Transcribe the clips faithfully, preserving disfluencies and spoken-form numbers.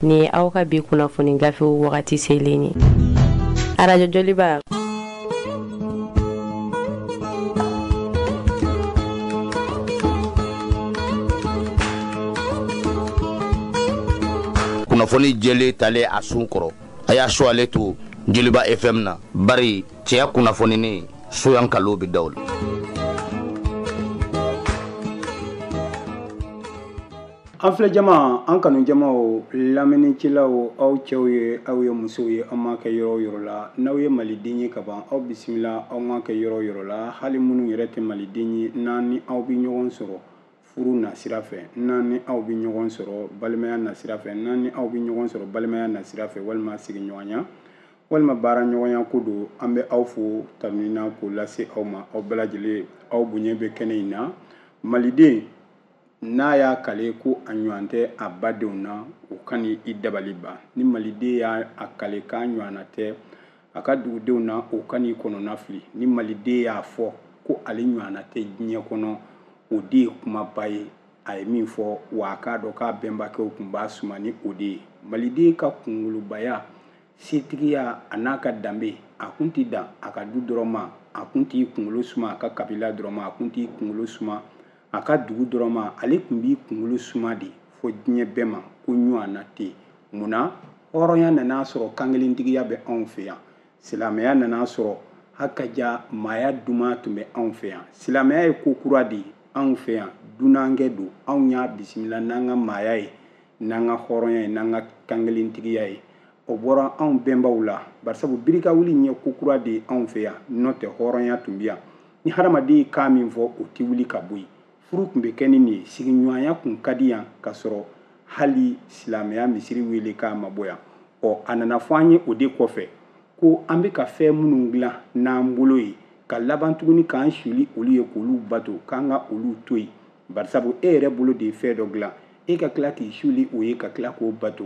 Nin ye aw ka bi kunnafoni gafew wagati selen ye. Arajo Joliba. Kunnafoni jɛlen talen a sun kɔrɔ, a y'a su ale to Joliba F M na, bari cɛya kunnafoni soyan kalo bɛ daw la. An filɛ jama, an kanu jamaw, lamɛnnikɛlaw, aw cɛw ye, aw ye musow ye, an m'a kɛ yɔrɔ o yɔrɔ la. N'aw ye maliden ye ka ban, aw bisimila, aw m'a kɛ yɔrɔ o yɔrɔ la. Hali minnu yɛrɛ tɛ maliden ye, n'an ni aw bɛ ɲɔgɔn sɔrɔ furu nasira fɛ, n'an ni aw bɛ ɲɔgɔn sɔrɔ balimaya nasira fɛ, n'an ni aw bɛ ɲɔgɔn sɔrɔ balimaya nasira fɛ, walima sigiɲɔgɔnya, walima baaraɲɔgɔnya ko don, an bɛ aw fo tanuni na k'o lase aw ma. Aw bɛɛ lajɛlen, aw bonya bɛ kɛnɛ in na. Maliden n'a y'a kale ko a ɲɔgɔn tɛ a badenw na, o ka ni i dabali ban. Ni maliden y'a kale k'a ɲɔgɔnna tɛ a ka dugudenw na, o ka n'i kɔnɔna fili. Ni maliden y'a fɔ ko ale ɲɔgɔnna tɛ diɲɛ kɔnɔ, o de ye kumaba ye. A ye min fɔ, wa a k'a dɔn k'a bɛnbakɛw tun b'a suma ni o de ye. Maliden ka kunkolobaya, setigiya a n'a ka danbe, a kun tɛ dan a ka du dɔrɔn ma, a kun t'i kunkolo suma a ka kabila dɔrɔn ma, a kun t'i kunkolo suma a ka dugu dɔrɔn ma, ale tun b'i kunkolo suma de fo diɲɛ bɛɛ ma ko ɲɔgɔnna tɛ. Munna hɔrɔnya nana sɔrɔ kankelentigiya bɛ anw fɛ yan, silamɛya nana sɔrɔ hakaja maaya duman tun bɛ anw fɛ yan. Silamɛya ye ko kura de ye anw fɛ yan, dunankɛ don, anw y'a bisimila n'an ka maaya ye, n'an ka hɔrɔnya ye, n'an ka kankelentigiya ye. O bɔra anw bɛnbaw la, barisabu birikawuli ye ko kura de ye anw fɛ yan, n'o tɛ hɔrɔnya tun bɛ yan. Ni hadamaden ye kan min fɔ, o tɛ wuli ka bɔ yen. Furu tun bɛ kɛ ni nin ye, sigiɲɔgɔnya tun ka di yan ka sɔrɔ hali silamɛya misiri wele k'a ma bɔ yan. Ɔ, a nana fɔ an ye o de kɔfɛ ko an bɛ ka fɛn minnu dilan n'an bolo ye, ka laban tuguni k'an suli olu ye k'olu bato, k'an ka olu to yen. Barisabu e yɛrɛ bolo de ye fɛn dɔ dilan, e ka tila k'i suli o ye ka tila k'o bato,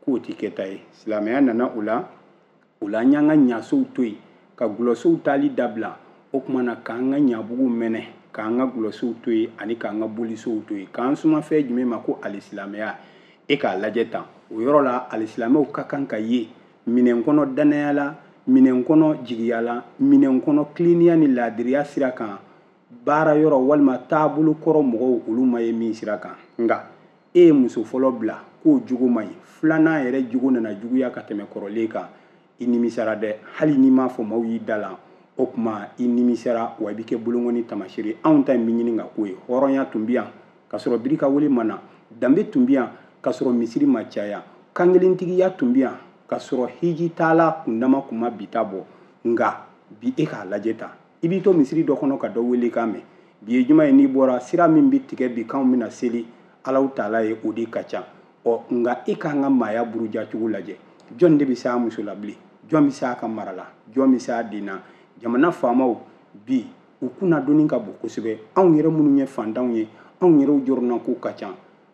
k'o tɛ kɛta ye. Silamɛya nana o la, o la an y'an ka ɲasow to yen, ka gulɔsow taali dabila. O tuma na k'an ka ɲabugu mɛnɛ, k'an ka gulɔsow to yen ani k'an ka bolisow to yen, k'an suma fɛn jumɛn ma ko alisilamɛya. E k'a lajɛ tan, o yɔrɔ la alisilamɛw ka kan ka ye minɛn kɔnɔ danaya la, minɛn kɔnɔ jigiya la, minɛn kɔnɔ tilennenya ni laadiriya sira kan, baara yɔrɔ walima taabolo kɔrɔ mɔgɔw olu ma ye min sira kan. Nka e ye muso fɔlɔ bila k'o jogo man ɲi, filanan yɛrɛ jogo nana juguya ka tɛmɛ kɔrɔlen kan, i nimisara dɛ. Hali n'i m'a fɔ maaw y'i da la, o tuma i nimisara, wa i bɛ kɛ bolonkɔni taamasere ye. Anw ta in bɛ ɲini ka k'o ye. Hɔrɔnya tun bɛ yan ka sɔrɔ birikawele ma na, danbe tun bɛ yan ka sɔrɔ misiri ma caya, kankelentigiya tun bɛ yan ka sɔrɔ hiji taala kundama kun ma bi ta bɔ. Nka bi e k'a lajɛ tan, i b'i to misiri dɔ kɔnɔ ka dɔ wele k'a mɛn. Bi ye juma ye, n'i bɔra sira min bɛ tigɛ bi k'anw bɛna seli Alahu taala ye, o de ka ca. Ɔ, nka e k'an ka maaya buruja cogo lajɛ, jɔn de bɛ se a muso la bilen, jɔn bɛ se a ka mara la, jɔn bɛ se a den na? Jamana faamaw bi u kunnadonni ka bon kosɛbɛ. Anw yɛrɛ minnu ye fantanw ye, anw yɛrɛw jɔrɔnako ka ca.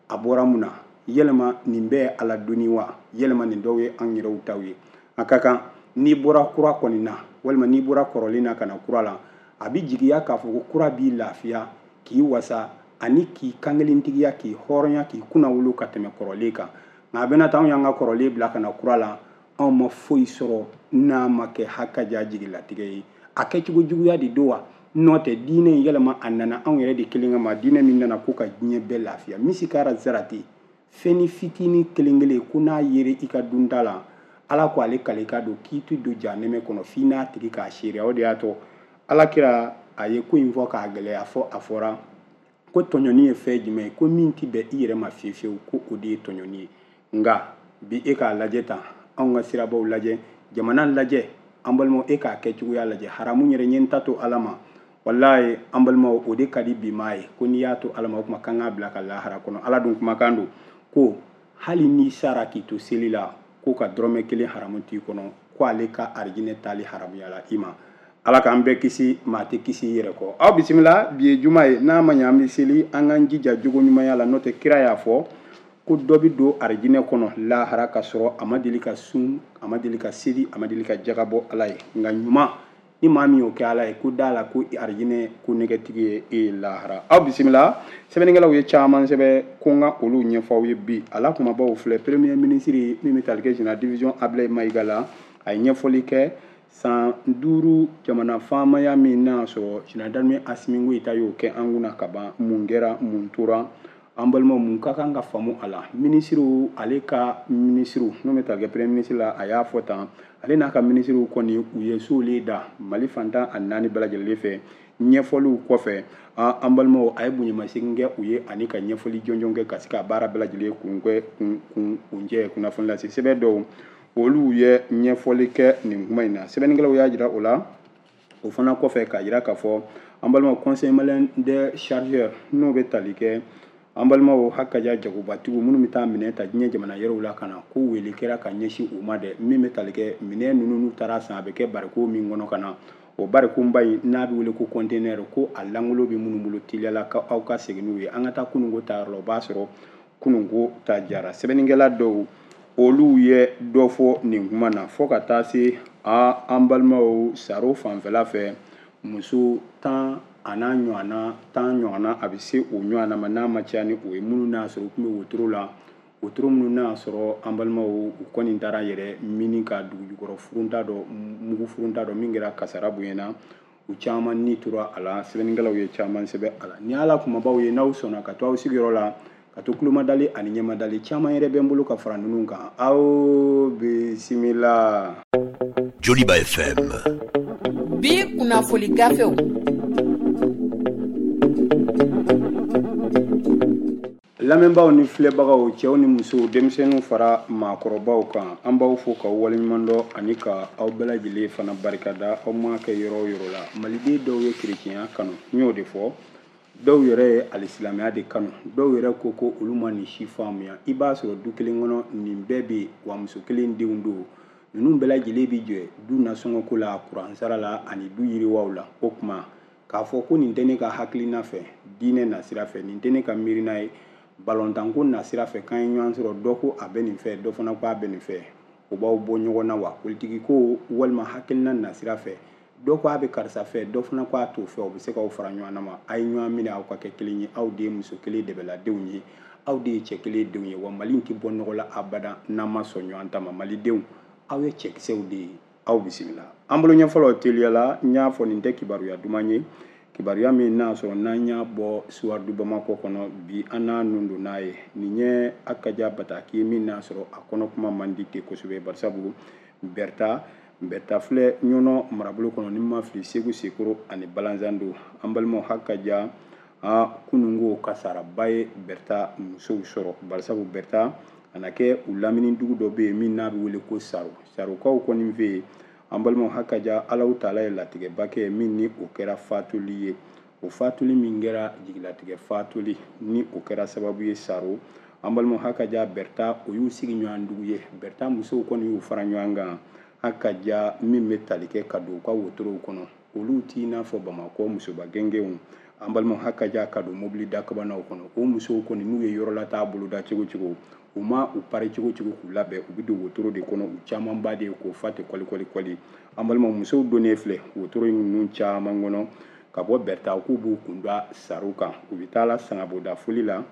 A bɔra mun na? Yɛlɛma nin bɛɛ ye Ala doni wa? Yɛlɛma nin dɔw ye anw yɛrɛw taw ye. A ka kan n'i bɔra kura kɔni na, walima n'i bɔra kɔrɔlen na ka na kura la, a bɛ jigiya k'a fɔ ko kura b'i lafiya, k'i wasa, ani k'i kankelentigiya, k'i hɔrɔnya, k'i kunnawolo ka tɛmɛ kɔrɔlen kan. Nka a bɛna taa anw y'an ka kɔrɔlen bila ka na kura la, anw ma foyi sɔrɔ n'a ma kɛ hakaja jigilatigɛ ye. A kɛcogo juguya de don wa? N'o tɛ diinɛ in yɛlɛma a nana anw yɛrɛ de kelen kama, diinɛ min nana ko ka diɲɛ bɛɛ lafiya. Misi kɛra zarati, fɛn ni fitinin kelen kelen ko n'a yere i ka dunta la, Ala ko ale kale ka don k'i tɛ don jahanɛmɛ kɔnɔ f'i n'a tigi k'a seereya. O de y'a to Ala kira a ye ko in fɔ k'a gɛlɛya fɔ a fɔra ko tɔɲɔni ye fɛn jumɛn ye, ko min tɛ bɛn i yɛrɛ ma fiyewu fiyewu, ko o de ye tɔɲɔni ye. Nka bi e k'a lajɛ tan, anw ka sirabaw lajɛ, jamana lajɛ, an balimaw, e k'a kɛ cogoya lajɛ. Haramu yɛrɛ ɲɛ n ta to Ala ma, walayi an balimaw, o de ka di bi maa ye, ko n'i y'a to Ala ma, o tuma k'an k'a bila ka lahara kɔnɔ. Ala dun kumakan don ko hali n'i sara k'i to seli la, ko ka dɔrɔmɛ kelen haramu t'i kɔnɔ, ko ale ka arijinɛ taali haramuya la i ma. Ala k'an bɛɛ kisi, maa tɛ kisi i yɛrɛ kɔ. Aw bisimila, bi ye juma ye, n'a ma ɲɛ an bɛ seli, an k'an jija jogo ɲumanya la, n'o tɛ kira y'a fɔ ko dɔ bɛ don arijinɛ kɔnɔ lahara ka sɔrɔ a ma deli ka sun, a ma deli ka seli, a ma deli ka jaga bɔ Ala ye. Nka ɲuman Ni maa min y'o kɛ Ala ye, ko da la ko arijinɛ ko nɛgɛtigi ye e lahara. Aw bisimila, sɛbɛnnikɛlaw ye caman sɛbɛn ko n ka olu ɲɛfɔ aw ye bi. A la kumabaw filɛ. Premier ministre min bɛ tali kɛ général division Ablaye Mayiga la, a ye ɲɛfɔli kɛ san duuru jamana faamaya min n'a sɔrɔ général d'armée Assimi Goïta y'o kɛ an kunna ka ban. Mun kɛra, mun tora? An balimaw, mun ka kan ka faamu a la? Minisiriw, ale ka minisiriw n'o bɛ tali kɛ premier ministre la, a y'a fɔ tan, ale n'a ka minisiriw kɔni u ye solen da Mali fantan a naani bɛɛ lajɛlen fɛ. Ɲɛfɔliw kɔfɛ, an balimaw, a ye bonyamasegin kɛ u ye ani ka ɲɛfɔli jɔnjɔn kɛ ka se ka baara bɛɛ lajɛlen kuncɛ kuncɛ. Kunnafoni lase sɛbɛn dɔw, olu ye ɲɛfɔli kɛ nin kuma in na. Sɛbɛnnikɛlaw y'a jira o la. O fana kɔfɛ, k'a jira k'a fɔ an balimaw, conseil malien des chargeurs n'o bɛ tali kɛ an balimaw hakaja jagobatigiw minnu bɛ taa minɛn ta diɲɛ jamana yɔrɔw la ka na, ko wele kɛra ka ɲɛsin u ma dɛ. Min bɛ tali kɛ minɛn ninnu n'u taara san, a bɛ kɛ bariko min kɔnɔ ka na, o barikonba in n'a bɛ wele ko conteneur, ko a langolo bɛ minnu bolo, teliyala ka aw ka segin n'u ye. An ka taa kununko ta yɔrɔ la, o b'a sɔrɔ kununko ta jara. Sɛbɛnnikɛla dɔw, olu ye dɔ fɔ nin kuma na, fo ka taa se an balimaw Saro fanfɛla fɛ, muso tan a n'a ɲɔgɔnna tan ɲɔgɔnna, a bɛ se o ɲɔgɔnna ma n'a ma caya ni o ye, minnu n'a sɔrɔ u tun bɛ wotoro la, wotoro minnu n'a sɔrɔ an balimaw u kɔni taara yɛrɛ mini ka dugujukɔrɔ furunta dɔ, mugu furunta dɔ min kɛra kasara bonyana, u caman ni tora a la. Sɛbɛnnikɛlaw ye caman sɛbɛn a la. Ni ala kumabaw ye, n'aw sɔnna ka to aw sigiyɔrɔ la, ka to kulomadali ani ɲɛmadali, caman yɛrɛ bɛ n bolo ka fara ninnu kan. Aw bisimila. Joliba F M. Bi kunnafoni gafew. Lamɛnbaaw ni filɛbagaw, cɛw ni musow, denmisɛnninw fara maakɔrɔbaw kan, an b'aw fo k'aw waleɲuman dɔn ani ka aw bɛɛ lajɛlen fana barikada aw maa kɛ yɔrɔ o yɔrɔ la. Maliden dɔw ye kerecɛnya kanu, n y'o de fɔ, dɔw yɛrɛ ye alisilamɛya de kanu, dɔw yɛrɛ ko ko olu ma nin si faamuya. I b'a sɔrɔ du kelen kɔnɔ nin bɛɛ bɛ yen, wa muso kelen denw don. Ninnu bɛɛ lajɛlen bɛ jɔ du nasɔngɔko la, kuran sara la ani du yiriwaw la. O tuma k'a fɔ ko nin tɛ ne ka hakilina fɛ diinɛ nasira fɛ, nin tɛ ne ka miirina ye balontanko nasira fɛ, k'an ye ɲɔgɔn sɔrɔ, dɔ ko a bɛ nin fɛ, dɔ fana ko a bɛ nin fɛ, o b'aw bɔ ɲɔgɔn na wa? Politiki ko walima hakilina nasira fɛ, dɔ ko a bɛ karisa fɛ, dɔ fana ko a t'o fɛ, o bɛ se k'aw fara ɲɔgɔn na ma. A ye ɲɔgɔn minɛ, aw ka kɛ kelen ye. Aw de ye muso kelen dɛbɛladenw ye, aw de ye cɛ kelen denw ye. Wa Mali tɛ bɔ nɔgɔ la abada n'an ma sɔn ɲɔgɔn ta ma. Malidenw, aw ye cɛkisɛw de ye. Aw bisimila. An bolo ɲɛfɔlɔ teliyala, n y'a fɔ nin tɛ kibaruya duman ye, kibaruya min n'a sɔrɔ n'an y'a bɔ Suwadu Bamakɔ kɔnɔ bi, an n'a nun don n'a ye. Nin ye Akaja bataki min n'a sɔrɔ a kɔnɔ kuma man di ten kosɛbɛ, barisabu Bɛrita Bɛrita filɛ Ɲɔnɔ marabolo kɔnɔ, ni ma fili Segu Sekoro ani Balanzando. An balimaw, Hakaja a kununko kasaraba ye Bɛrita musow sɔrɔ, barisabu Bɛrita a na kɛ u lamini dugu dɔ bɛ yen min n'a bɛ wele ko Saro. Sarokaw kɔni fɛ yen, an balimaw, Hakaja Alahu taala ye latigɛba kɛ min ni o kɛra fatuli ye. O fatuli min kɛra jigilatigɛ fatuli, ni o kɛra sababu ye Saro, an balimaw, Hakaja Bɛrita o y'u sigi ɲɔgɔn dugu ye. Bɛrita musow kɔni y'u fara ɲɔgɔn kan, Hakaja min bɛ tali kɛ ka don u ka wotorow kɔnɔ, olu t'i n'a fɔ Bamakɔ musoba gɛngɛnw. An balimaw, Hakaja ka don mobili dakabanaw kɔnɔ, o musow kɔni n'u ye yɔrɔlataa boloda cogo cogo, u ma u pari cogo cogo k'u labɛn, u bɛ don wotoro de kɔnɔ, u camanba de ye k'o fa ten kɔli kɔli kɔli. An balimaw, musow donnen filɛ wotoro ninnu caman kɔnɔ ka bɔ Bɛrita, k'u b'u kun da Saro kan, u bɛ taa la sangaboda foli la.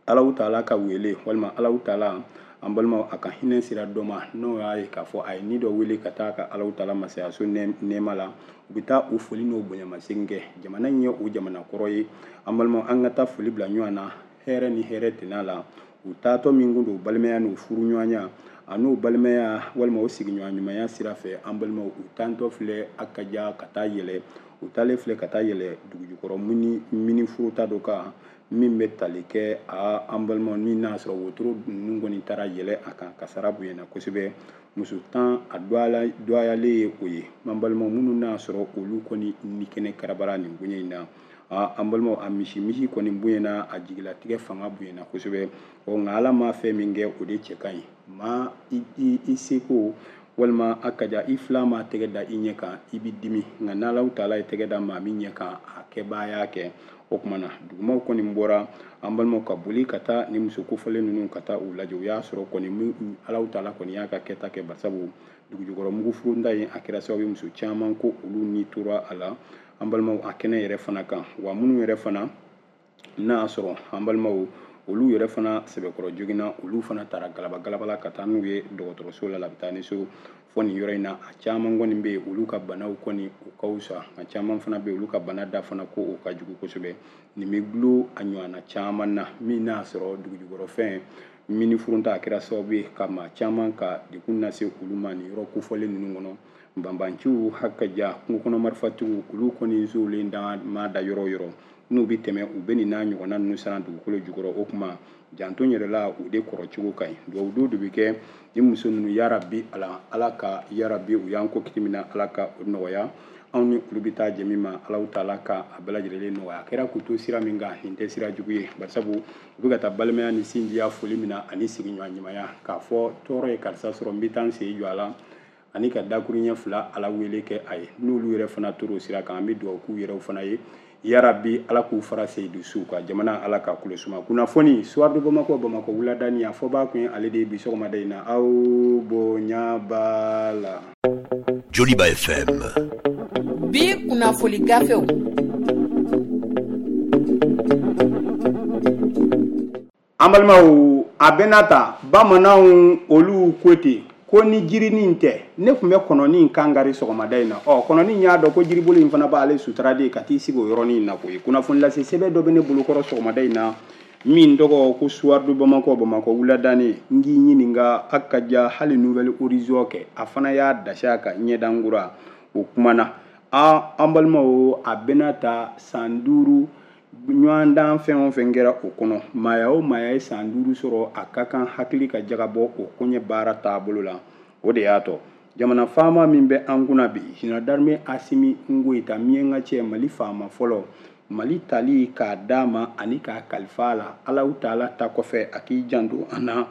Alahu taala ka wele walima Alahu taala, an balimaw, a ka hinɛ sira dɔ ma, n'o y'a ye k'a fɔ a ye ni dɔ wele ka taa ka Alahu taala masayaso nɛɛma la, u bɛ taa u foli n'o bonyamasegin kɛ. Jamana in ye o jamana kɔrɔ ye. An balimaw, an ka taa foli bila ɲɔgɔn na hɛrɛ ni hɛrɛ tɛna la. U taatɔ min kun don balimaya n'u furu ɲɔgɔnya a n'u balimaya walima u sigiɲɔgɔn ɲumanya sira fɛ, an balimaw, u tantɔ filɛ Akaja ka taa yɛlɛ, u taalen filɛ ka taa yɛlɛ dugujukɔrɔ mini mini furuta dɔ kan min bɛ tali kɛ a an balimaw min n'a sɔrɔ wotoro ninnu kɔni taara yɛlɛ a kan, kasara bonyana kosɛbɛ. Muso tan a dɔgɔyalen ye o ye. An balimaw minnu n'a sɔrɔ olu kɔni ni kɛnɛ karabara nin bonya in na, an balimaw, a misi misi kɔni bonyana, a jigilatigɛ fanga bonyana kosɛbɛ. Ɔ nka Ala ma fɛn min kɛ o de cɛ ka ɲi. Maa i i seko walima a kaja i fila ma tɛgɛ da i ɲɛ kan, i bɛ dimi, nka n'Alahu taala ye tɛgɛ da maa min ɲɛ kan, a kɛbaa y'a kɛ. O tuma na dugumaw kɔni bɔra an balimaw ka boli ka taa ni muso kofɔlen ninnu ka taa u lajɛ. U y'a sɔrɔ kɔni Alahu taala kɔni y'a ka kɛta kɛ, barisabu dugujukɔrɔ mugufurunta in a kɛra sababu ye muso caman ko olu ni tora a la an balimaw a kɛnɛ yɛrɛ fana kan. Wa minnu yɛrɛ fana n'a y'a sɔrɔ an balimaw olu yɛrɛ fana sɛbɛkɔrɔ joginna, olu fana taara galaba galaba la ka taa n'u ye dɔgɔtɔrɔso la Labitaniso. Fɔ nin yɔrɔ in na a caman kɔni bɛ yen olu ka banaw kɔni u ka wusa, a caman fana bɛ yen olu ka bana da fana ko o ka jugu kosɛbɛ. Nin bɛ gulo a ɲɔgɔnna caman na min n'a sɔrɔ dugujukɔrɔfɛn mini furunta a kɛra sababu ye ka maa caman ka degun lase olu ma nin yɔrɔ kofɔlen ninnu kɔnɔ. Banbanciw hakaja kungo kɔnɔ marifatigiw olu kɔni zolen da ma da yɔrɔ o yɔrɔ n'u bɛ tɛmɛ u bɛ nin n'a ɲɔgɔnna ninnu siran dugukolo jukɔrɔ. O tuma janto yɛrɛ la u de kɔrɔ cogo ka ɲi. Dugawu don de bɛ kɛ ni muso ninnu yarabi ala ala ka yarabi u y'an ko kiti min na Ala ka o nɔgɔya anw ni olu bɛ taa jɛ min ma Alahu taala ka a bɛɛ lajɛlen nɔgɔya. A kɛra k'u to sira min kan nin tɛ sira jugu ye, barisabu u bɛ ka taa balimaya ni sinjiya foli min na ani sigiɲɔgɔn ɲumanya k'a fɔ tɔɔrɔ ye karisa sɔrɔ n bɛ taa n sen jɔ a la ani ka dakuruɲɛ fila Ala wele kɛ a ye. N'olu yɛrɛ fana tor'o sira kan an bɛ dugawu k'u yɛrɛw fana ye yarabi Ala k'u fara seyidu suw kan, jamana Ala ka kulo suma. Kunnafoni Soir de Bamako Bamakɔ wuladani a fɔbaa kun ye ale de ye bi sɔgɔmada in na. Aw bonya b'a la. Joliba F M bi kunnafoni gafew. An balimaw a bɛna ta bamananw olu ko ten ko ni jirinin tɛ ne tun bɛ kɔnɔnin kan kari sɔgɔmada in na. Ɔ kɔnɔnin y'a dɔn ko jiribolo in fana b'ale sutura de ka t'i sigi o yɔrɔnin na koyi. Kunnafoni lase sɛbɛn dɔ bɛ ne bolokɔrɔ sɔgɔmada in na min tɔgɔ ko Soir de Bamako Bamakɔ wuladani. N k'i ɲininka a ka ja hali Nouvel Horizon kɛ a fana y'a dasi a kan ɲɛdankura o kumana. A an balimaw a bɛna ta san duuru ɲɔgɔndan fɛn o fɛn kɛra o kɔnɔ, maaya o maaya ye san duuru sɔrɔ a ka kan hakili ka jagabɔ o koɲɛ baara taabolo la. O de y'a tɔ jamana faama min bɛ an kunna bi général d'armée Assimi Goïta miɲɛnka cɛ Mali faama fɔlɔ Mali tali k'a d'a ma ani k'a kalifa a la Alahu taala ta kɔfɛ a k'i janto an na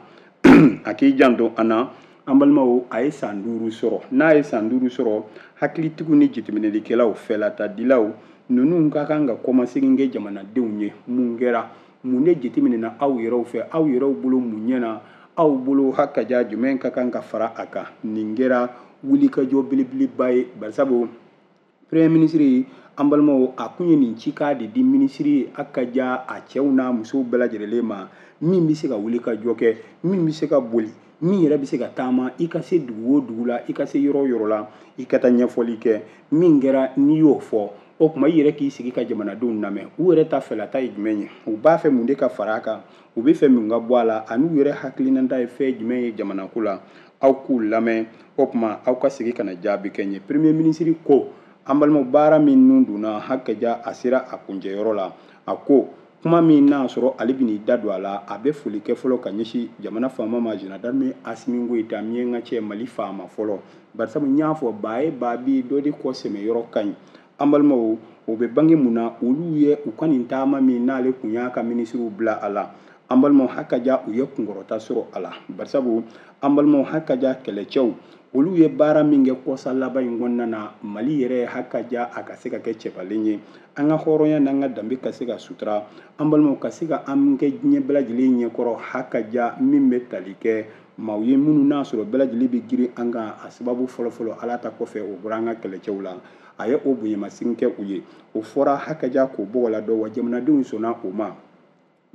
a k'i janto an na. An balimaw a ye san duuru sɔrɔ, n'a ye san duuru sɔrɔ hakilitigiw ni jateminɛlikɛlaw fɛlatadilaw ninnu ka kan ka kɔmasegin kɛ jamanadenw ye. Mun kɛra, mun de jateminɛna aw yɛrɛw fɛ, aw yɛrɛw bolo mun ɲɛna, aw bolo hakaja jumɛn ka kan ka fara a kan. Nin kɛra wulikajɔ belebeleba ye, barisabu premier ministre an balimaw a kun ye nin cikan de di minisiri a ka ja a cɛw n'a musow bɛɛ lajɛlen ma min bɛ se ka wulikajɔ kɛ, min bɛ se ka boli, min yɛrɛ bɛ se ka taama i ka se dugu o dugu la, i ka se yɔrɔ o yɔrɔ la, i ka taa ɲɛfɔli kɛ. Min kɛra n'i y'o fɔ o tuma i yɛrɛ k'i sigi ka jamanadenw lamɛn, u yɛrɛ ta fɛlata ye jumɛn ye, u b'a fɛ mun de ka fara a kan, u bɛ fɛ mun ka bɔ a la, ani u yɛrɛ hakilinata ye fɛn jumɛn ye jamanako la, aw k'u lamɛn. O tuma aw ka sigi ka na jaabi kɛ n ye. Premier ministre ko an balimaw baara min nun donna hakaja a sera a kuncɛyɔrɔ la. A ko kuma min n'a sɔrɔ ale bɛn'i da don a la, a bɛ foli kɛ fɔlɔ ka ɲɛsin jamana faama ma général d'armée Assimi Goïta miɲɛnka cɛ Mali faama fɔlɔ, barisabu n y'a fɔ baa ye baa bi dɔ de kɔ sɛmɛ yɔrɔ ka ɲi. An balimaw o bɛ bange mun na, olu ye u ka nin taama min n'ale kun y'a ka minisiriw bila a la, an balimaw hakaja u ye kunkɔrɔta sɔrɔ a la, barisabu an balimaw hakaja kɛlɛcɛw olu ye baara min kɛ kɔsa laban in kɔnɔna na Mali yɛrɛ hakaja a ka se ka kɛ cɛbalen ye, an ka hɔrɔnya n'an ka danbe ka se ka sutura, an balimaw ka se ka an kɛ diɲɛ bɛɛ lajɛlen ɲɛkɔrɔ hakaja min bɛ tali kɛ maaw ye minnu n'a sɔrɔ bɛɛ lajɛlen bɛ girin an kan. A sababu fɔlɔfɔlɔ Ala ta kɔfɛ o bɔra an ka kɛlɛcɛw la, a ye o bonyamasegin kɛ u ye, o fɔra hakaja k'o bɔgɔ la dɔn wa jamanadenw sɔnna o ma.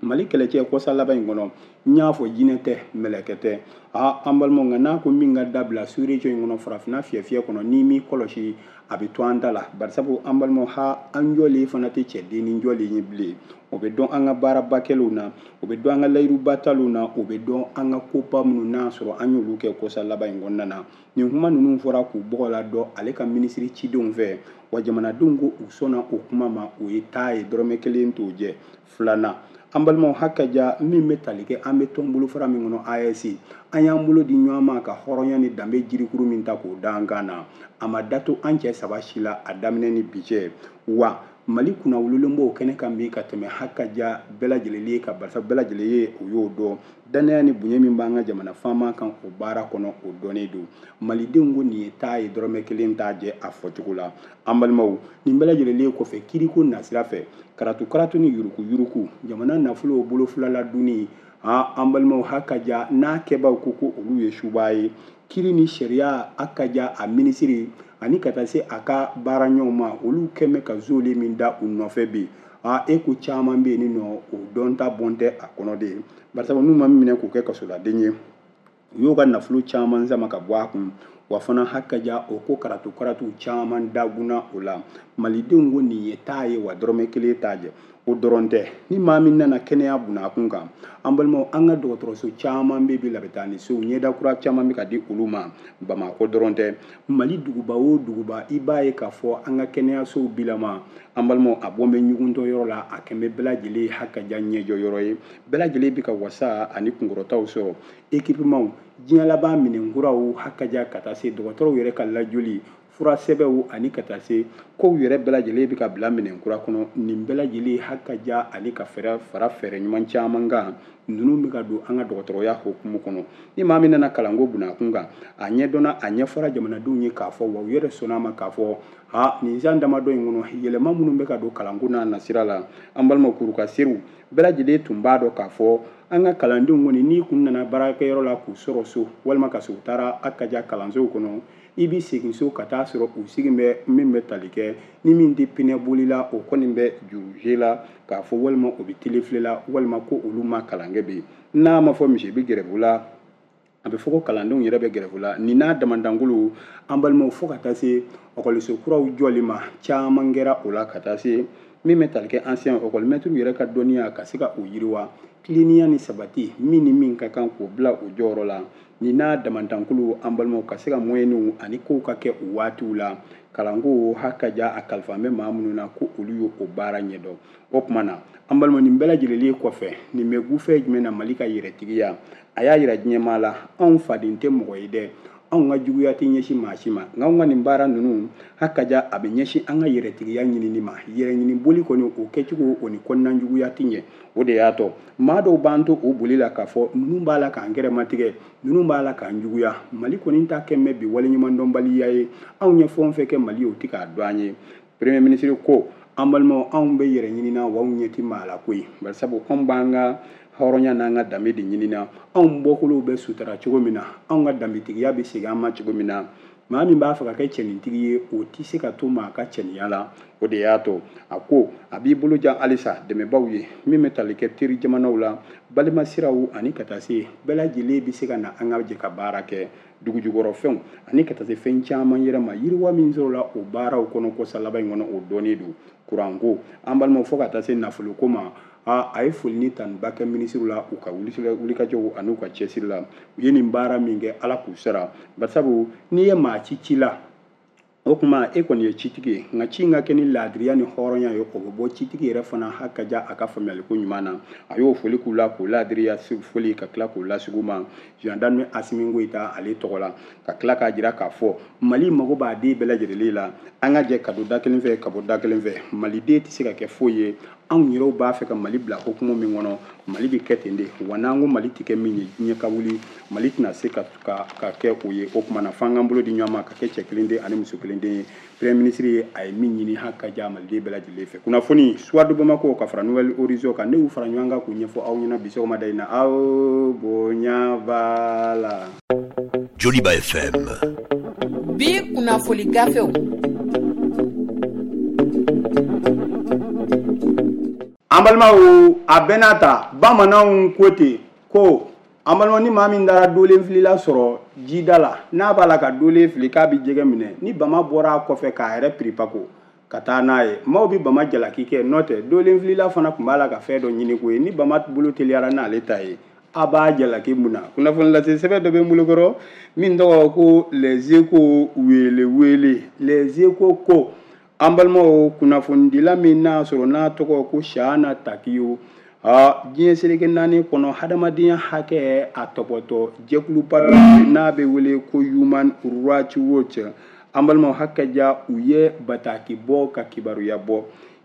Mali kɛlɛcɛ kɔsa laban in kɔnɔ n y'a fɔ jinɛ tɛ mɛlɛkɛ tɛ aa an balimaw, nka n'a ko min ka dabila sous-région in kɔnɔ farafinna fiyɛ fiyɛ kɔnɔ n'i m'i kɔlɔsi a bɛ to an ta la, barisabu an balimaw ha an jɔlen fana tɛ cɛdennin jɔlen ye bilen. O bɛ dɔn an ka baaraba kɛlenw na, o bɛ dɔn an ka layiruba talenw na, o bɛ dɔn an ka koba minnu n'a sɔrɔ an y'olu kɛ kɔsa laban in kɔnɔna na. Nin kuma ninnu fɔra k'u bɔgɔ la dɔn ale ka minisiri cidenw fɛ, wa jamanadenw ko u sɔnna o kuma ma, o ye taa ye dɔrɔmɛ kelen t'o jɛ. Filanan an balimaw hakaja min bɛ tali kɛ an bɛ tɔn bolofara min kɔnɔ A S, an y'an bolo di ɲɔgɔn ma ka hɔrɔnya ni danbe jirikuru min ta k'o da an kan na, a ma datu an cɛ saba si la a daminɛ ni bi cɛ. Wa Mali kunnawololen b'o kɛnɛ kan bi ka tɛmɛ hakaja bɛɛ lajɛlen ka barisa bɛɛ lajɛlen ye o y'o dɔn. Danaya ni bonya min b'an ka jamana faama kan o baara kɔnɔ o dɔnnen don. Malidenw ko nin ye taa ye dɔrɔmɛ kelen t'a jɛ a fɔcogo la. An balimaw, nin bɛɛ lajɛlen kɔfɛ kiriko nasira fɛ karatu karatu ni yuruku yuruku jamana nafolo bolo fila la dunni ah an balimaw hakaja n'a kɛbaw ko ko olu ye suba ye. Kiri ni sariya hakaja a minisiri ani ka taa se a ka baara ɲɔgɔn ma olu kɛmɛ ka zole min da u nɔfɛ bi a e ko caman bɛ yen nɔ o dɔn ta bɔn tɛ a kɔnɔ de barisa n'u ma minɛ k'u kɛ kasoladen ye u y'o ka nafolo caman sama ka bɔ a kun wa fana hakaja o ko karatu karatu caman dagunna o la. Malidenw ko nin ye taa ye wa dɔrɔmɛ kelen t'a jɛ. O dɔrɔn tɛ, ni maa min nana kɛnɛya bunakun kan an balimaw an ka dɔgɔtɔrɔso caman bɛ bi labɛntaani sow ɲɛda kura caman bɛ ka di olu ma. Bamakɔ dɔrɔn tɛ, Mali duguba o duguba i b'a ye k'a fɔ an ka kɛnɛyasow bilama an balimaw a bɔ bɛ ɲuguntɔ yɔrɔ la a kɛn bɛ bɛɛ lajɛlen hakaja ɲɛjɔ yɔrɔ ye. Bɛɛ lajɛlen bɛ ka wasa ani kunkɔrɔtaw sɔrɔ équipement diɲɛ laban minɛnkuraw hakaja ka taa se dɔgɔtɔrɔw yɛrɛ ka lajɔli fura sɛbɛnw ani ka taa se kow yɛrɛ bɛɛ lajɛlen bɛ ka bila minɛn kura kɔnɔ. Nin bɛɛ lajɛlen hakaja ani ka fɛɛrɛ fara fɛɛrɛ ɲuman caman kan ninnu bɛ ka don an ka dɔgɔtɔrɔya hokumu kɔnɔ. Ni maa min nana kalanko bunakun kan a ɲɛdɔnna a ɲɛfɔra jamanadenw ye k'a fɔ wa u yɛrɛ sɔnna a ma k'a fɔ ha nin san damadɔ in kɔnɔ yɛlɛma minnu bɛ ka don kalanko n'a nasira la an balima kurukasiriw bɛɛ lajɛlen tun b'a dɔn k'a fɔ an ka kalandenw kɔni n'i kun nana baarakɛyɔrɔ la k'u sɔrɔ so walima ka sɔrɔ u taara hakaja kalansow kɔnɔ i b'i segin so ka taa sɔrɔ u sigi bɛ min bɛ tali kɛ ni min tɛ pinɛ boli la o kɔni bɛ juruze la k'a fɔ walima o bɛ tele filɛ la walima ko olu ma kalan kɛ bi n'a ma fɔ misi bɛ gɛrɛbu la a bɛ fɔ ko kalandenw yɛrɛ bɛ gɛrɛbu la. Nin n'a damandankolo an balimaw fo ka taa se ɔkɔliso kuraw jɔli ma caman kɛra o la ka taa se min bɛ tali kɛ ancien ɔkɔlimɛtiriw yɛrɛ ka dɔnniya ka se ka o yiriwa tilennenya ni sabati min ni min ka kan k'o bila o jɔyɔrɔ la. Nin n'a damandankolo an balimaw ka se ka moyeniw ani kow ka kɛ o waatiw la kalanko hakaja a kalifa bɛ maa minnu na ko olu y'o o baara ɲɛdɔn. O tuma na an balima nin bɛɛ lajɛlen kɔfɛ nin bɛ gufɛ jumɛn na Mali ka yɛrɛtigiya a y'a yira diɲɛmaa la anw faden tɛ mɔgɔ ye dɛ, anw ka juguya tɛ ɲɛsin maa si ma nka anw ka nin baara ninnu hakaja a bɛ ɲɛsin an ka yɛrɛtigiya ɲinini ma. Yɛrɛɲini boli kɔni o kɛcogo o ni kɔnɔna juguya tɛ ɲɛ. O de y'a to maa dɔw b'an to o boli la k'a fɔ ninnu b'a la k'an gɛrɛmatigɛ ninnu b'a la k'an juguya. Mali kɔni ta kɛ mɛ bi waleɲumandɔnbaliya ye anw ye fɛn o fɛn kɛ Mali ye o tɛ k'a dɔn an ye. Premier ministre ko an balimaw anw bɛ yɛrɛ ɲini na wa anw ɲɛ tɛ maa la koyi barisabu anw b'an ka hɔrɔnya n'an ka danbe de ɲini na anw bɔkolow bɛ sutara cogo min na anw ka danbetigiya bɛ segin an ma cogo min na. Maa min b'a fɛ ka kɛ cɛnintigi ye o tɛ se ka to maa ka cɛniya la. O de y'a to a ko a b'i bolo jan halisa dɛmɛbaw ye min bɛ tali kɛ teri jamanaw la balimasiraw ani ka taa se bɛɛ lajɛlen bɛ se ka na an ka jɛ ka baara kɛ dugujukɔrɔfɛnw ani ka taa se fɛn caman yɛrɛ ma yiriwa min sɔrɔla o baaraw kɔnɔ kɔsa laban in kɔnɔ o dɔnnen don kuranko an balimaw fo ka taa se nafoloko ma. A a ye foli ni tanuba kɛ minisiriw la u ka wulikajɔw ani u ka cɛsiri la u ye nin baara min kɛ Ala k'u sara barisabu n'i ye maa ci ci la o tuma e kɔni ye citigi ye nka ci in ka kɛ ni laadiriya ni hɔrɔnya ye o bɛ bɔ citigi yɛrɛ fana hakaja a ka faamuyaliko ɲuman na. A y'o foli k'u la k'o laadiriya foli ka tila k'o lasigi u ma gendarme Assimi Goïta ale tɔgɔ la ka tila k'a jira k'a fɔ Mali mago b'a den bɛɛ lajɛlen la an ka jɛ ka don da kelen fɛ ka bɔ da kelen fɛ. Maliden tɛ se ka kɛ foyi ye anw yɛrɛw b'a fɛ ka Mali bila hokumu min kɔnɔ Mali bɛ kɛ ten de wa n'an ko Mali tɛ kɛ min ye diɲɛ ka wuli Mali tɛna se ka ka ka kɛ o ye. O tuma na f'an k'an bolo di ɲɔgɔn ma ka kɛ cɛ kelen den ani muso kelen den ye. Premier ministre ye a ye min ɲini hakaja Maliden bɛɛ lajɛlen fɛ. Kunnafoni Soir de Bamako ka fara Nouvel Horizon kan ne y'u fara ɲɔgɔn kan k'u ɲɛfɔ aw ɲɛna bi sɔgɔmada in na aw bonya b'a la. Joliba F M. Bi kunnafoni gafew. An balimaw a bɛɛ n'a ta bamananw ko ten ko an balimaw ni maa min taara dolen filila sɔrɔ jida la n'a b'a la ka dolen fili k'a bɛ jɛgɛ minɛ ni bama bɔra a kɔfɛ k'a yɛrɛ piripako ka taa n'a ye maaw bɛ bama jalaki kɛ n'o tɛ dolen filila fana tun b'a la ka fɛn dɔ ɲini ko ye ni bama bolo teliyara n'ale ta ye a b'a jalaki mun na. Kunnafoni lase sɛbɛn dɔ bɛ n bolokɔrɔ min tɔgɔ ko Les Échos wele wele. Les Échos ko an balimaw kunnafonidila min n'a sɔrɔ n'a tɔgɔ ko Shana Takiyo a diɲɛ seleke naani kɔnɔ hadamadenya hakɛ a tɔpɔtɔ jɛkuluba dɔ n'a bɛ wele ko Human Rights Watch an balimaw hakaja u ye bataki bɔ ka kibaruya bɔ.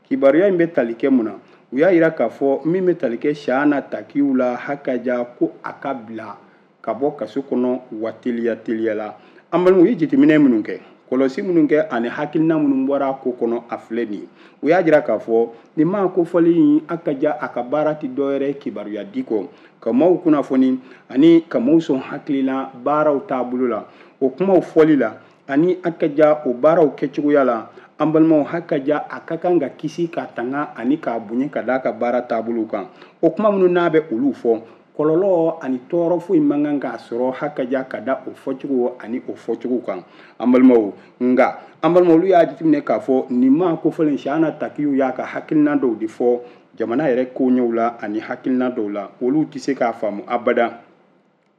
Kibaruya in bɛ tali kɛ mun na? U y'a yira k'a fɔ min bɛ tali kɛ Chahana Takiou la, hakaja ko a ka bila ka bɔ kaso kɔnɔ wa teliya teliya la. An balimaw, u ye jateminɛ minnu kɛ, kɔlɔsi minnu kɛ ani hakilina minnu bɔra a ko kɔnɔ, a filɛ nin ye. U y'a jira k'a fɔ nin maa kofɔlen in, a ka ja a ka baara tɛ dɔwɛrɛ kibaruya di kɔ, ka maaw kunnafoni ani ka maaw sɔn hakilina baaraw taabolo la, o kumaw fɔli la ani a ka ja o baaraw kɛcogoya la. An balimaw, hakaja a ka kan ka kisi ka tanga ani k'a bonya ka d'a ka baara taabolo kan. O kuma minnu n'a bɛ olu fɔ, kɔlɔlɔ ani tɔɔrɔ foyi man kan k'a sɔrɔ hakaja ka da o fɔcogo ani o fɔcogo kan. An balimaw, nka an balimaw, olu y'a jateminɛ k'a fɔ nin maa kofɔlen Chahana Takiou y'a ka hakilina dɔw de fɔ jamana yɛrɛ koɲɛw la ani hakilina dɔw la, olu tɛ se k'a faamu abada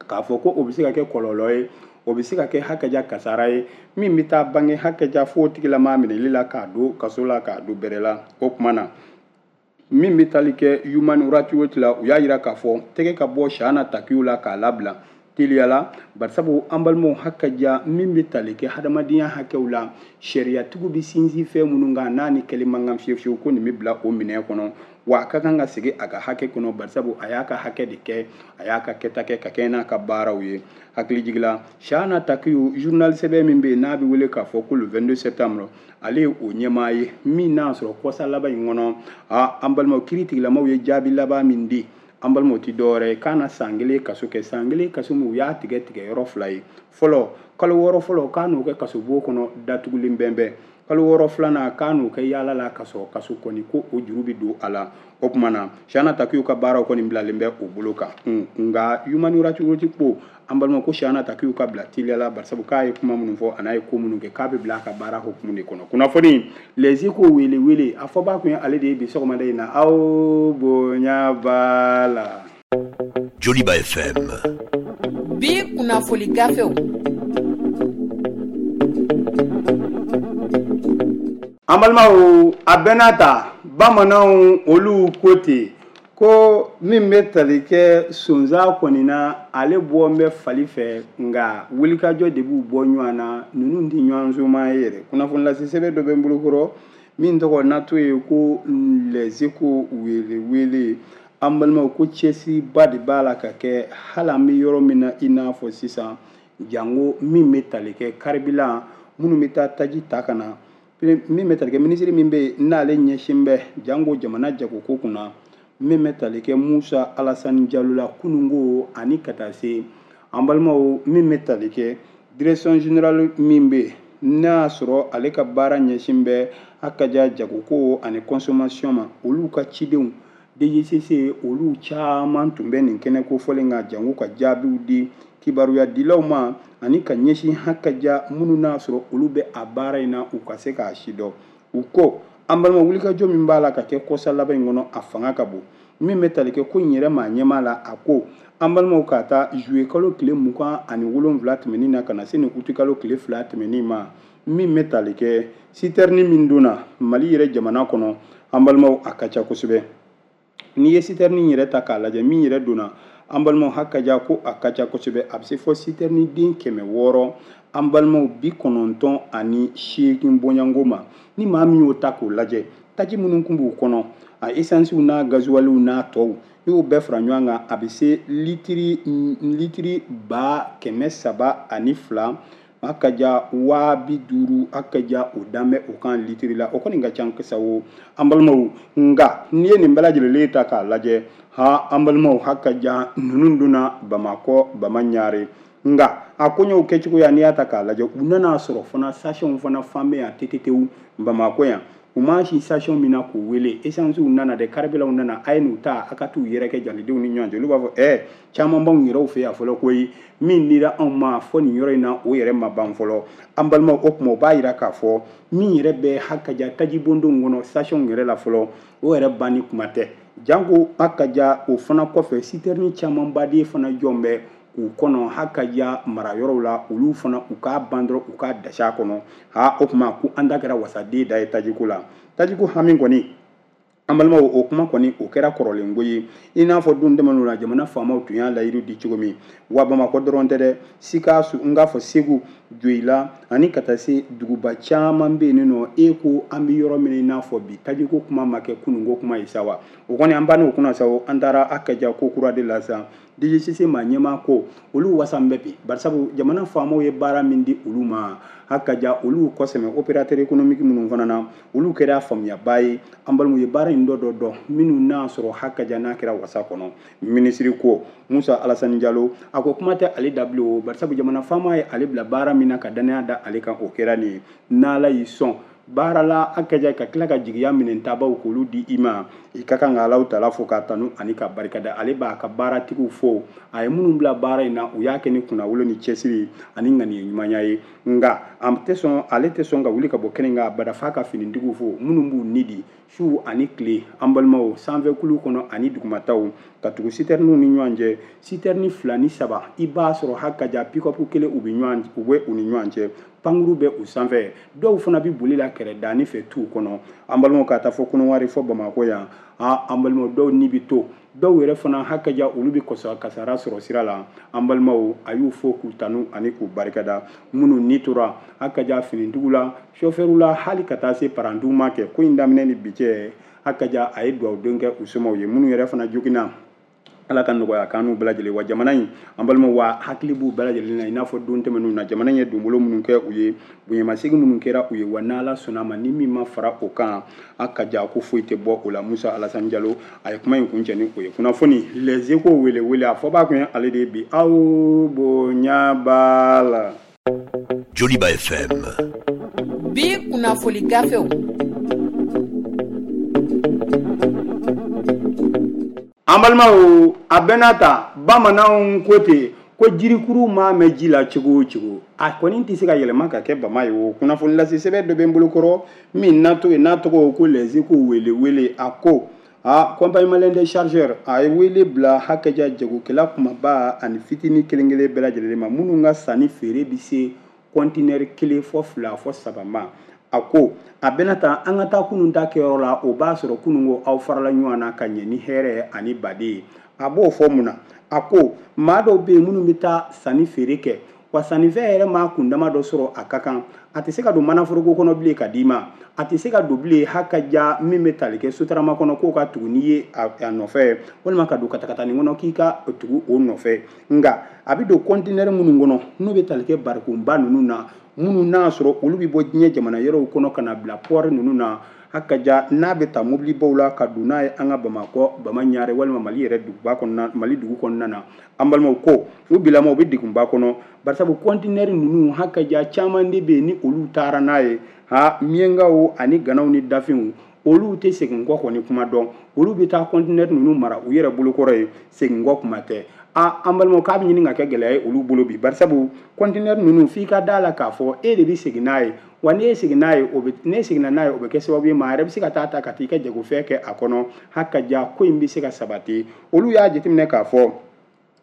k'a fɔ ko o bɛ se ka kɛ kɔlɔlɔ ye, o bɛ se ka kɛ hakaja kasara ye min bɛ taa bange hakaja fo tigilamaa minɛli la k'a don kaso la, k'a don bɛrɛ la. O tuma na min bɛ tali kɛ Human Rights Watch la, u y'a jira k'a fɔ tɛgɛ ka bɔ Chahana Takiou la k'a labila teliya la, barisabu an balimaw, hakaja min bɛ tali kɛ hadamadenya hakɛw la, sariyatigiw bɛ sinsin fɛn minnu kan n'a ni kɛlɛ man kan fiyewu fiyewu, ko nin bɛ bila o minɛn kɔnɔ, wa a ka kan ka segin a ka hakɛ kɔnɔ, barisabu a y'a ka hakɛ de kɛ, a y'a ka kɛta kɛ ka kɛɲɛ n'a ka baaraw ye. Hakilijigila, Chahana Takiou journal sɛbɛn min bɛ yen n'a bɛ wele k'a fɔ ko le vingt-deux septembre, ale ye o ɲɛmaa ye min n'a sɔrɔ kɔsa laban in kɔnɔ, a an balimaw, kiiri tigilamaw ye jaabi laban min di, an balimaw, tɛ dɔwɛrɛ ye k'a na san kelen kaso kɛ. San kelen kaso min, u y'a tigɛ tigɛ yɔrɔ fila ye. Fɔlɔ, kalo wɔɔrɔ fɔlɔ k'a n'o kɛ kasobon kɔnɔ datugulen bɛnbɛn, kalo wɔɔrɔ filanan k'a n'o kɛ yaala la ka sɔrɔ kaso kɔni ko o juru bɛ don a la. O tuma na Chahana Takiou ka baaraw kɔni bilalen bɛ o bolo kan. Nka Human Rights Watch ko an balima ko Chahana Takiou ka bila teliya la, barisabu k'a ye kuma minnu fɔ a n'a ye ko minnu kɛ, k'a bɛ bila a ka baara hukumu de kɔnɔ. Kunnafoni Les Échos wele wele a fɔba kun ye ale de ye bi sɔgɔmada in na. Aw bonya b'a la. Joliba F M. Bi kunnafoni gafew. An balimaw, a bɛɛ n'a ta, bamananw olu ko ten ko min bɛ tali kɛ sonsan kɔni na, ale bɔ bɛ fali fɛ, nka wulikajɔ de b'u bɔ ɲɔgɔn na, ninnu tɛ ɲɔgɔn soma ye yɛrɛ. Kunnafoni lase sɛbɛn dɔ bɛ n bolokɔrɔ min tɔgɔ n'a to ye ko Les Échos wele wele. An balimaw, ko cɛsiriba de b'a la ka kɛ hali an bɛ yɔrɔ min na i n'a fɔ sisan, jango min bɛ tali kɛ karibilan minnu bɛ taa taji ta ka na, min bɛ tali kɛ minisiri min bɛ yen n'ale ɲɛsin bɛ jango jamana jagoko kunna, min bɛ tali kɛ Musa Alasani Jalo la kununko ani ka taa se an balimaw, min bɛ tali kɛ direction générale min bɛ yen n'a y'a sɔrɔ ale ka baara ɲɛsin bɛ hakaja jagoko ani consommation ma, olu ka cidenw D G C C olu caman tun bɛ nin kɛnɛ kofɔlen kan jango ka jaabiw di kibaruya dilaw ma ani ka ɲɛsin hakaja minnu n'a sɔrɔ olu bɛ a baara in na u ka se k'a si dɔn. U ko an balima, wulikajɔ min b'a la ka kɛ kɔsa laban in kɔnɔ, a fanga ka bon. Min bɛ tali kɛ ko in yɛrɛ maa ɲɛmaa la, a ko an balimaw, ka taa juillet kalo tile mugan ani wolonwula tɛmɛnen na ka na se nin août kalo tile fila tɛmɛnen ma, min bɛ tali kɛ citerne min donna Mali yɛrɛ jamana kɔnɔ, an balimaw, a ka ca kosɛbɛ. N'i ye citerne yɛrɛ ta k'a lajɛ, min yɛrɛ donna, an balimaw, hakaja ko a ka ca kosɛbɛ, a bɛ se fɔ citerne den kɛmɛ wɔɔrɔ, an balimaw, bi kɔnɔntɔn ani seegin bɔɲɔgɔnko ma. Ni maa min y'o ta k'o lajɛ, taji minnu kun b'u kɔnɔ, a esansiw n'a gazuwaliw n'a tɔw, n'i y'o bɛɛ fara ɲɔgɔn kan, a bɛ se litiri litiri ba kɛmɛ saba ani fila, a ka ja waa bi duuru, a ka ja o dan bɛ o kan litiri la. O kɔni ka ca kisa o, an balimaw. Nka n'i ye nin bɛɛ lajɛlen ta k'a lajɛ, ha an balimaw, ha ka ja ninnu donna Bamakɔ Bamaɲare. Nka a koɲɛw kɛcogoya n'i y'a ta k'a lajɛ, u nana sɔrɔ fana station fana fan bɛ yan tetetewu Bamakɔ yan. U ma si station min na k'u wele, esansiw nana dɛ, karibilanw nana, a ye n'u ta a ka t'u yɛrɛ kɛ jalidenw ni ɲɔgɔn cɛ. Olu b'a fɔ ɛ caman b'anw yɛrɛw fɛ yan fɔlɔ koyi, min dira anw ma fɔ nin yɔrɔ in na o yɛrɛ ma ban fɔlɔ. An balimaw, o tuma o b'a yira k'a fɔ min yɛrɛ bɛ hakaja tajibondonw kɔnɔ station yɛrɛ la fɔlɔ, o yɛrɛ banni kuma tɛ. Jango hakaja o fana kɔfɛ, citerne camanba de fana jɔn bɛ k'u kɔnɔ hakaja marayɔrɔw la, olu fana u k'a ban dɔrɔn u k'a dasi a kɔnɔ. Ha o tuma ko an da kɛra wasaden da ye tajiko la. Tajiko hami kɔni An balimaw o kuma kɔni o kɛra kɔrɔlenko ye i n'a fɔ don tɛmɛnenw na jamana faamaw tun y'a layidu di cogo min wa Bamakɔ dɔrɔn tɛ dɛ Sikaso n k'a fɔ Segu Joyila ani ka taa se duguba caman bɛ yen nɔ e ko an bɛ yɔrɔ min i n'a fɔ bi tajiko kuma ma kɛ kununko kuma ye sa wa o kɔni an bann'o kunna sa o an taara a kaja ko kura de la sa D G C C maa ɲɛmaa ko olu wasan bɛ bi barisabu jamana faamaw ye baara min di olu ma a kaja olu kɔsɛmɛ opérateur économique minnu fana na olu kɛra faamuyaba ye an balimaw ye baara in dɔ dɔ dɔn minnu n'a sɔrɔ hakaja n'a kɛra wasa kɔnɔ minisiri ko Musa Alassane Diallo a ko kuma tɛ ale da bilen o barisabu jamana faama ye ale bila baara min na ka danaya da ale kan o kɛra nin ye n'Ala y'i sɔn baara la a kaja ka tila ka jigiya minɛntabaw k'olu di i ma i ka kan ka Alahu taala fo k'a tanu ani ka barikada ale b'a ka baaratigiw fo a ye minnu bila baara in na u y'a kɛ ni kunnawolo ni cɛsiri ani ŋaniya ɲumanya ye nka a tɛ sɔn ale tɛ sɔn ka wuli ka bɔ kɛnɛ kan abada f'a ka finitigiw fo minnu b'u ni di su ani tile an balimaw sanfɛ kulu kɔnɔ ani dugumataw ka tugu sitɛriniw ni ɲɔgɔn cɛ sitɛrini fila ni saba i b'a sɔrɔ hakaja pick-up kelen u bɛ ɲɔgɔn u bɛ u ni ɲɔgɔn cɛ pankuru bɛ u sanfɛ dɔw fana bɛ boli la kɛrɛdaani fɛ t'u kɔnɔ an balimaw ka taa fɔ Kɔnɔwari fɔ Bamakɔ yan a an balimaw dɔw ni bɛ to dɔw yɛrɛ fana hakaja olu bɛ kɔsa kasara sɔrɔ sira la an balimaw a y'u fo k'u tanu ani k'u barikada minnu ni tora hakaja finitigiw la sofɛriw la hali ka taa se parantiw ma kɛ ko in daminɛ ni bi cɛ hakaja a ye dugawuden kɛ u somɔgɔw ye minnu yɛrɛ fana joginna Ala ka nɔgɔya k'an n'u bɛɛ lajɛlen wa jamana in an balimaw wa hakili b'u bɛɛ lajɛlen na i n'a fɔ don tɛmɛnenw na jamana in ye donbolo minnu kɛ u ye bonyamasegin minnu kɛra u ye wa n'Ala sɔnna ma ni min ma fara o kan a ka ja ko foyi tɛ bɔ o la Musa Alassane Diallo a ye kuma in kuncɛ ni o ye kunnafoni Les Échos wele wele a fɔbaa kun ye ale de ye bi aw bonya b'a la. Joliba F M bi kunnafoni gafew. An balimaw a bɛɛ n'a ta bamananw ko ten ko jirikuru maa mɛn ji la cogo o cogo a kɔni tɛ se ka yɛlɛma ka kɛ bama ye o kunnafoni lase sɛbɛn dɔ bɛ n bolokɔrɔ min n'a to n'a tɔgɔ ko Les Échos wele wele a ko a compagnie malienne des chargeurs a ye wele bila hakɛja jagokɛla kumaba ani fitinin kelen kelen bɛɛ lajɛlen ma minnu ka sanni feere bɛ se kɔntinɛri kelen fɔ fila fɔ saba ma a ko a bɛna ta an ka taa kunun ta kɛyɔrɔ la o b'a sɔrɔ kunun ko aw farala ɲɔgɔn na ka ɲɛ ni hɛrɛ ani baden ye a b'o fɔ mun na a ko maa dɔw bɛ yen minnu bɛ taa sanni feere kɛ wa sannifɛn yɛrɛ maa kundama dɔ sɔrɔ a ka kan a tɛ se ka don manaforoko kɔnɔ bilen ka d'i ma a tɛ se ka don bilen hakaja min bɛ tali kɛ sotarama kɔnɔ k'o ka tugu n'i ye a nɔfɛ walima ka don katakatanin kɔnɔ k'i ka tugu o nɔfɛ nka a bɛ don kɔntinɛri minnu kɔnɔ n'u bɛ tali kɛ barikonba ninnu na minnu n'a sɔrɔ olu bɛ bɔ diɲɛ jamana yɔrɔw kɔnɔ ka na bila pɔri ninnu na hakaja n'a bɛ ta mobilibaw la ka don n'a ye an ka Bamakɔ Bama Ɲare walima Mali yɛrɛ duguba kɔnɔna Mali dugu kɔnɔna na an balimaw ko u bilama u bɛ degunba kɔnɔ barisabu kɔntinɛri ninnu hakaja caman de bɛ yen ni olu taara n'a ye ha miɲankaw ani ganaw ni dafinw olu tɛ segin kɔ kɔni kuma dɔn olu bɛ taa kɔntinɛri ninnu mara u yɛrɛ bolokɔrɔ ye segin kɔ kuma tɛ a an balimaw k'a bɛ ɲini ka kɛ gɛlɛya ye olu bolo bi barisabu kɔntinɛri ninnu f'i ka da la k'a fɔ e de bɛ segin n'a ye wa n'e seginna n'a ye o bɛ n'e seginna n'a ye o bɛ kɛ sababu ye maa yɛrɛ bɛ se ka taa ta ka t'i ka jagofɛn kɛ a kɔnɔ hakaja ko in bɛ se ka sabati olu y'a jateminɛ k'a fɔ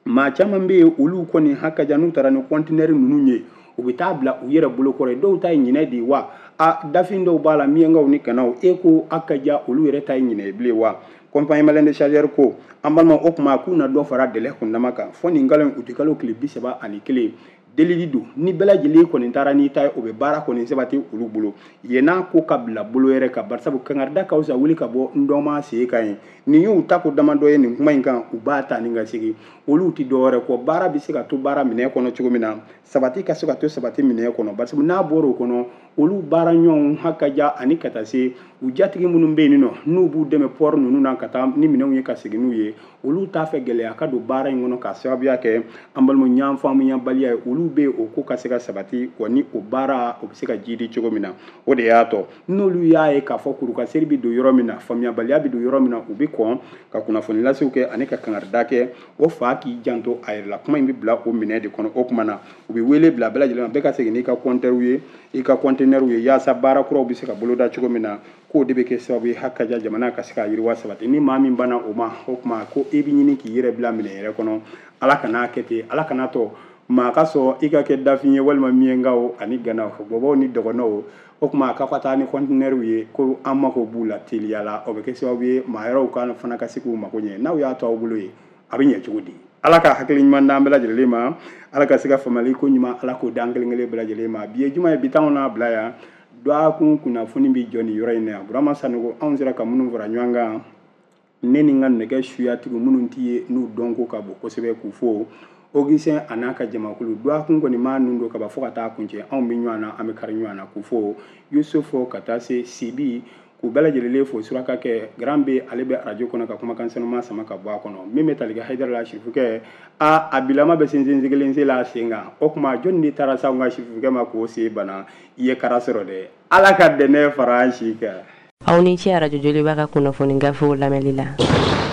maa caman bɛ yen olu kɔni hakaja n'u taara ni kɔntinɛri ninnu ye u bɛ taa bila u yɛrɛ bolokɔrɔ ye dɔw ta ye ɲinɛ de ye wa a dafin dɔw b'a la miɲankaw ni ganaw e ko hakaja olu yɛrɛ ta ye ɲinɛ ye bilen wa compagnie malienne des chargeurs ko an balima o tuma k'u na dɔ fara délai kundama kan fɔ nin kalo in u tɛ kalo tile bi saba ani kelen delili don ni bɛɛ lajɛlen kɔni taara n'i ta ye o bɛ baara kɔni sabati olu bolo yen n'a ko ka bila bolo yɛrɛ kan barisabu kangarida ka fisa wuli ka bɔ n dɔnma sen kan ye nin y'u ta ko damadɔ ye nin kuma in kan u b'a ta ni ka segin olu tɛ dɔwɛrɛ kɔ baara bɛ se ka to baara minɛ kɔnɔ cogo min na sabati ka se ka to sabati minɛ kɔnɔ barisabu n'a bɔra o kɔnɔ olu baara ɲɔgɔnw hakaja ani ka taa se u jatigi minnu bɛ yen nɔ n'u b'u dɛmɛ pɔri ninnu na ka taa ni minɛnw ye ka segin n'u ye olu t'a fɛ gɛlɛya ka don baara in kɔnɔ k'a sababuya kɛ an balima ɲɔgɔn faamuyabaliya ye olu bɛ o ko ka se ka sabati wa ni o baara o bɛ se ka jidi cogo min na o de y'a tɔ n'olu y'a ye k'a fɔ kurukaseri bɛ don yɔrɔ min na faamuyabaliya bɛ don yɔrɔ min na u bɛ kɔn ka kunnafoni lasew kɛ ani ka kangarida kɛ o fa k'i janto a yɛrɛ la kuma in bɛ bila o minɛ de kɔnɔ o tuma na u bɛ wele bila bɛɛ lajɛlen ma bɛɛ ka segin n'i ka kɔntɛriw ye i ka kɔntinɛriw ye yaasa baara kuraw bɛ se ka boloda cogo min na k'o de bɛ kɛ sababu ye hakaja jamana ka se ka yiriwa sabati ni maa min banna o ma o tuma ko e bɛ ɲini k'i yɛrɛ bila minɛ yɛrɛ kɔnɔ Ala kan'a kɛ ten Ala kana tɔ Maa ka sɔn i ka kɛ dafin ye walima miɲɛnkaw ani ganaw, bɔbɔw ni dɔgɔnɔw. O tuma k'aw ka taa ni kɔntinɛriw ye, ko an mako b'u la teliya la. O bɛ kɛ sababu ye maa wɛrɛw ka fana ka se k'u mako ɲɛ. N'aw y'a to aw bolo ye, a bɛ ɲɛ cogo di? Ala ka hakili ɲuman d'an bɛɛ lajɛlen ma, Ala ka se ka faamuyali ko ɲuman, Ala k'o d'an kelen kelen bɛɛ lajɛlen ma. Bi ye juma ye, bi t'anw n'a bila yan. Dɔgɔkun kunnafoni bɛ jɔ nin yɔrɔ in na yan. Burama Sanogo, anw sera ka minnu fara ɲɔgɔn kan, ne ni n ka nɛgɛ suyatigiw minnu t'i ye n'u dɔnko ka bon kosɛbɛ, k'u fo. Augustin a n'a ka jamakulu, dɔgɔkun kɔni maa ninnu don ka ban fo ka taa kuncɛ, anw bɛ ɲɔgɔn na, an bɛ kari ɲɔgɔn na, k'u fo. Yusufu ka taa se Sibi, k'u bɛɛ lajɛlen fo. Suraka kɛ Grand B, ale bɛ arajo kɔnɔ ka kumakan sanuma sama ka bɔ a kɔnɔ. Min bɛ tali kɛ Hayidara la, sirifukɛ a a bilama bɛ sinsin kelen sen la a sen kan. O tuma jɔnni de taara s'anw ka sirifukɛ ma k'o sen bana? I ye kara sɔrɔ dɛ. Ala ka dɛnɛ fara an si kan. Aw ni ce arajo Joliba ka kunnafoni gafew lamɛnli la.